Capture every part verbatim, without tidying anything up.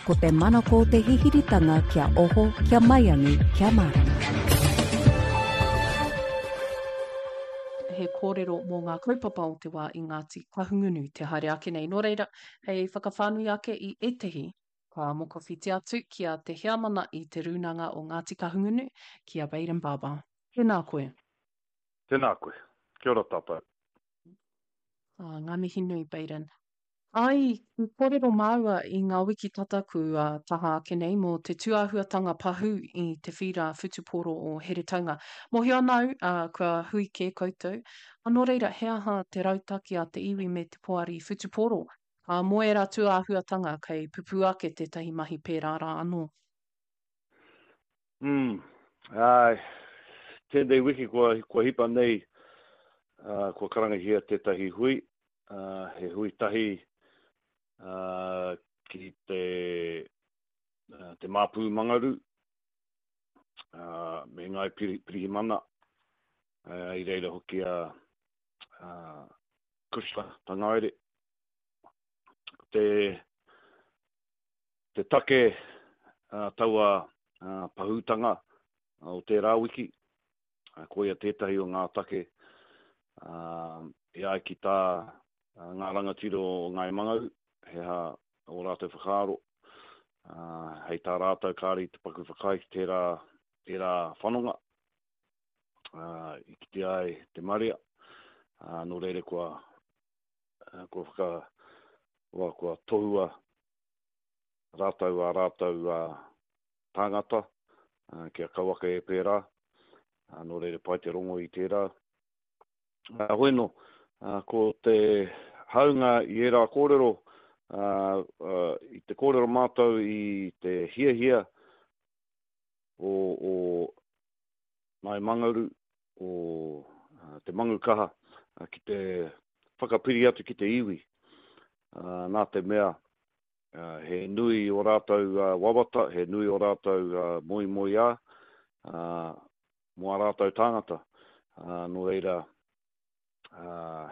Ko te manako o te hihiritanga kia oho, kia maiangi, kia mārama. He kōrero mō ngā kaupapa o te wā i Ngāti Kahungunu te haere ake nei. Nō reira, hei whakawhānui ake i ētehi, ka mokowhiti atu ki a Te Heamana i Te Rūnanga o Ngāti Kahungunu, ki a Bayden Barber. Tēnā koe. Tēnā koe. Kia ora tātou. Ah, ngā mihi nui, Bayden. Ai, i kōrero māua i ngā wiki tata kua taha ake nei mō te tūāhuatanga pahū i te whīra whutupōro o Heretaunga. Mōhio ana au, ā, kua hui kē koutou. Ā, nō reira, he aha te rautaki a te iwi me te poari whutupōro? Ā, mō ērā tūāhuatanga kei pupū ake tētahi mahi pērā rā anō. Mm, āe, tēnei wiki kua, kua hipa nei, ā, kua karangahia tētahi hui, ā, he hui tahi, ā, ki te, ā, te Māpū Mangaru, ā, me Ngāi Pirihimana, ā, i reira hoki a, a Cushla Tangaere. Ko te, te take uh, taua uh, pahūtanga o tērā wiki, uh, koia tētahi o ngā take uh, e ai ki tā uh, ngā rangatira o Ngāi Mangaru, he aha ō rātou whakaaro, uh, hei tā rātou kāre i te paku whakaae ki tērā, tērā whanonga, uh, i kitea ai te marea, uh, nō reira kua, uh, kua whaka, kua, kua tohua rātou ā rātou uh, tāngata, uh, kia kauaka e pērā, uh, nō reira pai te rongo i tērā. Uh, hoi nō, uh, ko te haunga i ērā kōrero, uh, uh, i te kōrero mātou i te hiahia o, o Ngāi Mangaru, o uh, te Mangukaha, uh, ki te whakapiri atu ki te iwi. Uh, nā te mea, uh, he nui o rātou uh, wawata, he nui o rātou uh, moemoeā, uh, mō ā rātou tāngata. Uh, nō reira, uh,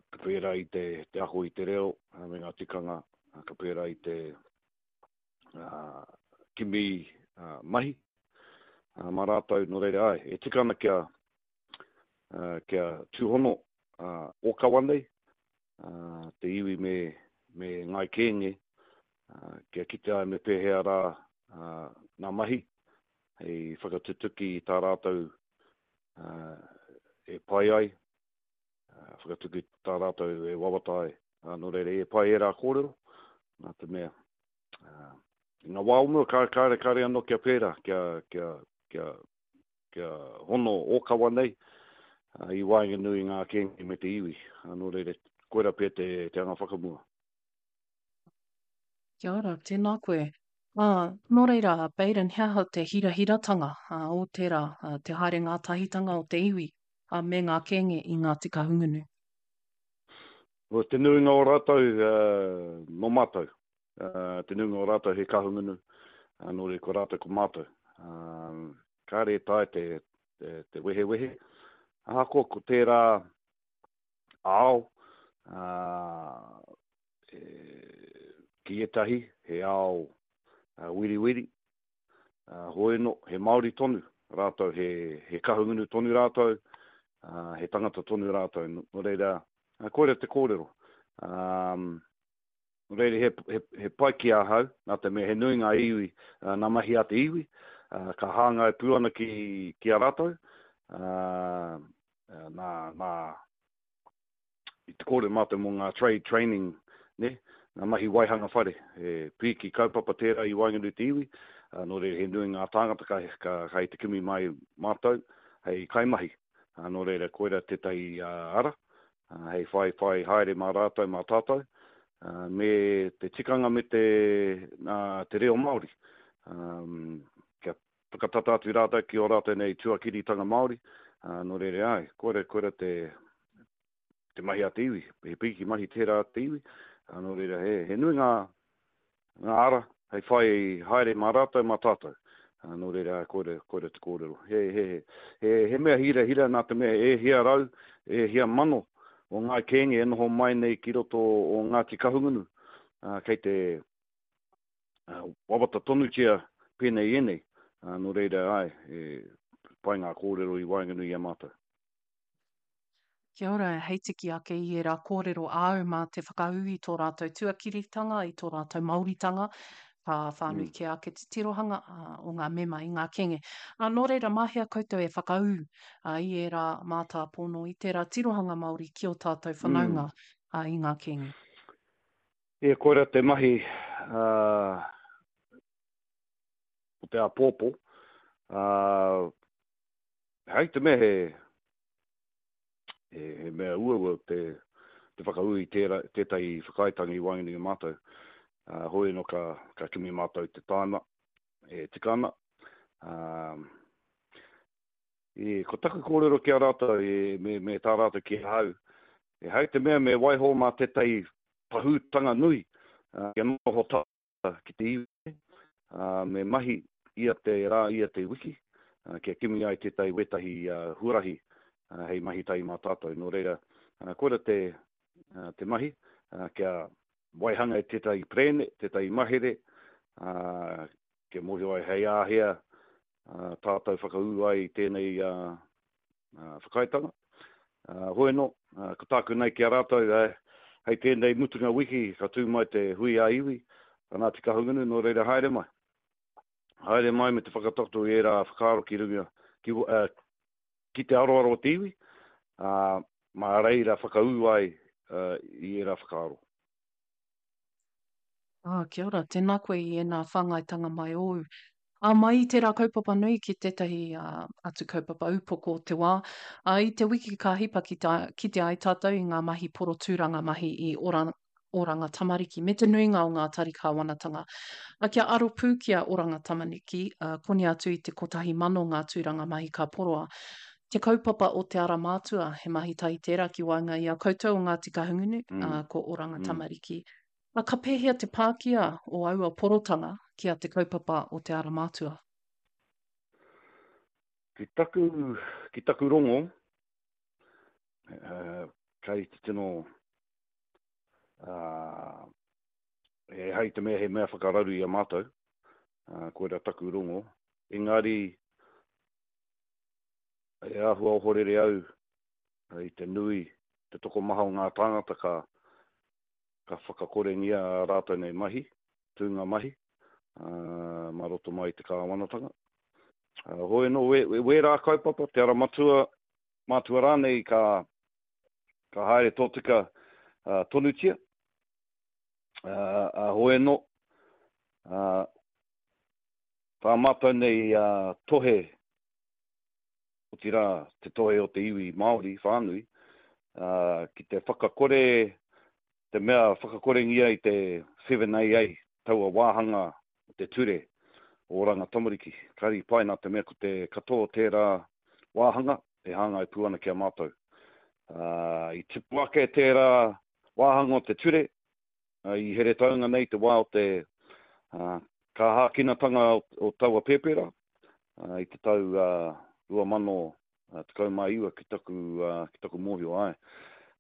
ka pērā i te, te ako i te reo uh, me ngā tikanga, uh, ka pērā i te uh, kimi uh, mahi uh, mā rātou, nō reira ai. E tika ana kia, uh, kia tūhono uh, ōkawa nei, uh, te iwi me, me Ngāi Kēnge, uh, kia kite ai me pēhea rā uh, ngā mahi, hei whakatutuki i tā rātou uh, e pai ai, uh, whakatutuki tā rātou e wawata ai. Uh, nō reira, e pai ērā kōrero, nā te mea. Uh, i ngā wā o mua, kāre, kāre, kāre anō kia pērā, kia, kia, kia, kia hono ōkawa nei, uh, i waenganui i ngā kēnge me te iwi. Uh, nō reira, koira pea te, te anga whakamua. Kia ora, tēnā koe. Ā, nō reira, Bayden, he aha te hirahiratanga ā, o tērā, ā, te haere ngātahitanga o te iwi ā, me ngā kēnge i Ngāti Kahungunu? Ko te nuinga o rātou, uh, nō mātou. Uh, te nuinga o rātou he Kahungunu, uh, nō reira ko rātou ko mātou. Uh, kāre e taea te, te, te wehewehe. Ahakoa ko tērā ao, uh, e, ki ētahi, he ao uh, wiriwiri, uh, hoi anō, he Māori tonu rātou, he, he Kahungunu tonu rātou, uh, he tangata tonu rātou. Nō reira, uh, koira te kōrero. Um, nō reira, he, he, he pai ki ahau, nā te mea he nui ngā iwi, uh, ngā mahi a te iwi, uh, ka hāngai pū ana ki, ki a rātou, uh, nā, nā, i te kōrero mātou mō ngā trade training, ne? Ngā mahi waihanga whare, he pīki kaupapa tērā i waenganui te iwi, uh, nō reira he nui ngā tāngata ka, ka, ka i te kimi mai mātou hei kaimahi. Uh, nō reira koira tētahi uh, ara, uh, hei whai whai haere mā rātou, mā tātou, uh, me te tikanga me te, uh, te reo Māori. Um, kia whakatata atu rātou ki ō rātou nei tuakiritanga Māori, uh, nō reira ai, koira, koira te, te mahi a te iwi, he pīki mahi tērā a te iwi, uh, nō reira he, he nui ngā, ngā ara hei whai haere mā rātou, mā tātou. Uh, nō reira, koira, koira te kōrero. He, he, he, he mea hira hira nā te mea e hia rau, e hia mano o ngā kēnge e noho mai nei ki roto o Ngāti Kahungunu, uh, kei te, wawata tonutia pēnei ēnei. Nō reira, āe, e pai ngā kōrero i waenganui i a mātou. Kia ora, hei tiki ake i ērā kōrero āu mā te whakaū i tō rātou tuakiritanga, i tō rātou Māoritanga, ka whānui mm. kē ake te tirohanga o ngā mema i ngā kēnge. Ā, nō reira, mā hea koutou e whakaū i ērā mātāpono, i tērā tirohanga Māori ki ō tātou whanaunga mm. i ngā kēnge? E, koira te mahi uh, o te āpōpō. Uh, hei te mea he, he, he mea uaua te, te whakaū i tērā, tētahi whakaaetanga i waenganui i a mātou. Uh, hoi anō ka, ka kimi mātou te tāima e tika ana. Uh, e, ko taku kōrero ki a rātou, e, me, me tā rātou ki ahau, e hei te mea me waiho mā tētahi pahūtanga nui, uh, kia noho tata ki te iwi, uh, me mahi ia te rā, ia te wiki, uh, kia kimi ai tētahi wētahi uh, huarahi uh, hei mahi tahi mā tātou. Nō reira, uh, koira te, uh, te mahi, uh, kia waihanga i tētahi prēne, tētahi mahere, uh, kia mōhio ai hei āhea uh, tātou whakaū ai i tēnei uh, uh, whakaaetanga. Uh, hoi anō, uh, ko tāku nei ki a rātou, uh, hei tēnei mutunga wiki, ka tū mai te hui ā-iwi, a Ngāti Kahungunu, nō reira haere mai. Haere mai me te whakatakoto i ērā whakaaro ki runga, ki, uh, ki te aroaro o te iwi, uh, mā reira whakaū ai uh, i ērā whakaaro. Ah, kia ora, tēnā koe i ēnā whāngaitanga mai ōu. Ā, mai i tērā kaupapa nui ki tētahi uh, atu kaupapa upoko o te wā, ā, i te wiki ka hipa ki tā, kite ai tātou i ngā mahi porotūranga mahi i ora, Oranga Tamariki me te nuinga o ngā tari kāwanatanga. Ā, kia aro pū ki a Oranga Tamariki, ā, koni atu i te kotahi mano ngā tūranga mahi ka poroa. Te kaupapa o Te Ara Mātua, he mahi tahi tērā ki waenga i a koutou o Ngāti Kahungunu, ā, ko Oranga Tamariki. Ā, ka pēhea te pākia o aua porotanga ki a te kaupapa o Te Ara Mātua? Ki taku, ki taku rongo, uh, kei te tino, uh, e hei te mea he mea whakararu i a mātou, uh, koira taku rongo, engari e āhua ohorere au i te nui, te tokomaha o ngā tāngata ka, ka whakakorengia ā rātou nei mahi, tūnga mahi, uh, mā roto mai i te kāwanatanga. Uh, hoi anō, we, we, wērā kaupapa, te ara matua, mātua rānei ka, ka haere tōtika uh, tonutia. Uh, uh, hoi anō, uh, tā mātou nei uh, tohe, otirā te tohe o te iwi Māori whānui, uh, ki te whakakore, te mea whakakorengia i te seven A A, taua wāhanga o te ture o Oranga Tamariki. Kāre i pai nā te mea ko te katoa o tērā wāhanga e hāngai pū ana ki a mātou. Uh, i tipu ake tērā wāhanga o te ture, uh, i Heretaunga nei te wā o te uh, kāhākinatanga o, o taua pēpera, uh, i te tau uh, rua mano tekau mā iwa ki taku, uh, ki taku mōhio ai.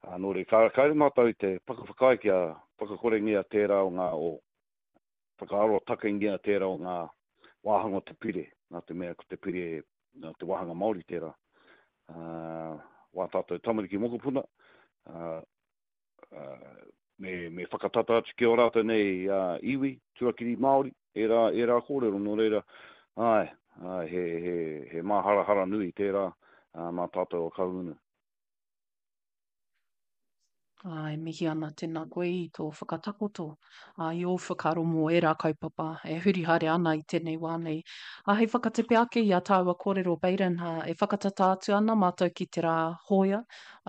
Uh, nō reira, ka, kāre mātou i te whakawhakaae kia whakakorengia tērā o ngā, o whakaaro takengia tērā o ngā wāhanga o te pire, nā te mea ko te pire, nā te wāhanga Māori tērā. Uh, wā tātou tamariki mokopuna, uh, uh, me, me whakatata atu ki o rātou nei uh, iwi, tuakiri Māori, ērā, ērā kōrero, nō reira, ai, ai, he, he, he māharahara nui tērā uh, mā tātou o Kahungunu. Ā, e mihi ana tēnā koe i tō whakatakoto, ā, i ō whakaaro mō ērā kaupapa e huri haere ana i tēnei wā nei. Ā, hei whakatepe ake i a tāua kōrero Baden, ā, e whakatata atu ana mātou ki te rā hōia,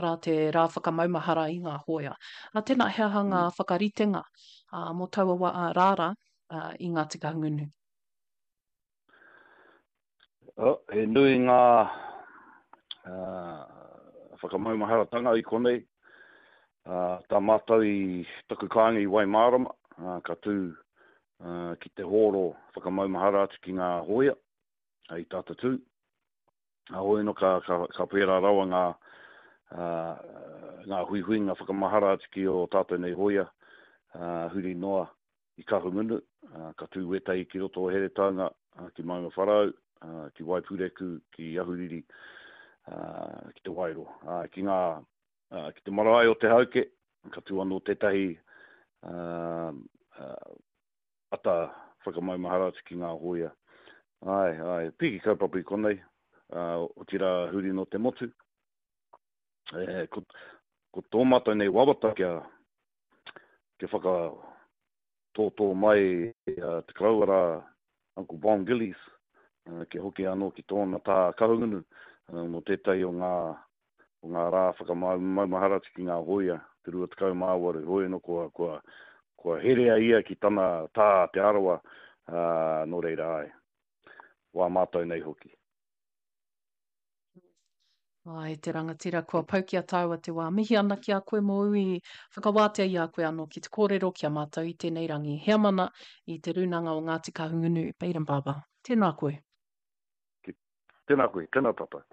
arā te rā whakamaumahara i ngā hōia. Ā, tēnā he aha ngā whakaritenga, ā, mō taua wā, ā, rāra, ā, i Ngāti Kahungunu? Oh, he nui ngā, ā, whakamaumaharatanga i konei. Uh, tā mātou i taku kāinga i Waimārama, uh, ka tū, uh, ki te hōro whakamaumahara atu ki ngā hōia, uh, i tata tū. Uh, hoi anō ka, ka, ka pērā rawa ngā, uh, ngā huihuinga whakamahara atu ki o tātou nei hōia, uh, huri noa i Kahungunu, ka tū wētahi ki roto o Heretaunga, ki Maungawharau, ki Waipureku, ki Ahuriri, ki Te Wairoa. Ki ngā, ki te marae o Te Hauke, ka tū anō tētahi ata whakamaumahara atu ki ngā hōia. Āe, āe, piki kaupapa i konei, otirā huri nō te motu. E, ko, ko tō mātou nei wawata kia, kia whakatōtō mai uh, te koroua rā Uncle Bon Gillies, uh, kia hoki anō ki tōna tā Kahungunu, uh, mō tētahi o ngā, o ngā rā whakamaumahara atu ki ngā hōia, te rua tekau mā waru, hoi anō kua, kua, kua herea ia ki tana tā Te Arawa, uh, nō reira ai, wā mātou nei hoki. Ai, te rangatira, kua pau ki a tāua te wā. Mihi ana ki a koe mōu i whakawātea i a koe anō ki te kōrero ki a mātou i tēnei rangi. Heamana i te Rūnanga o Ngāti Kahungunu, Bayden Barber. Tēnā koe. Tēnā koe, tēnā tātou.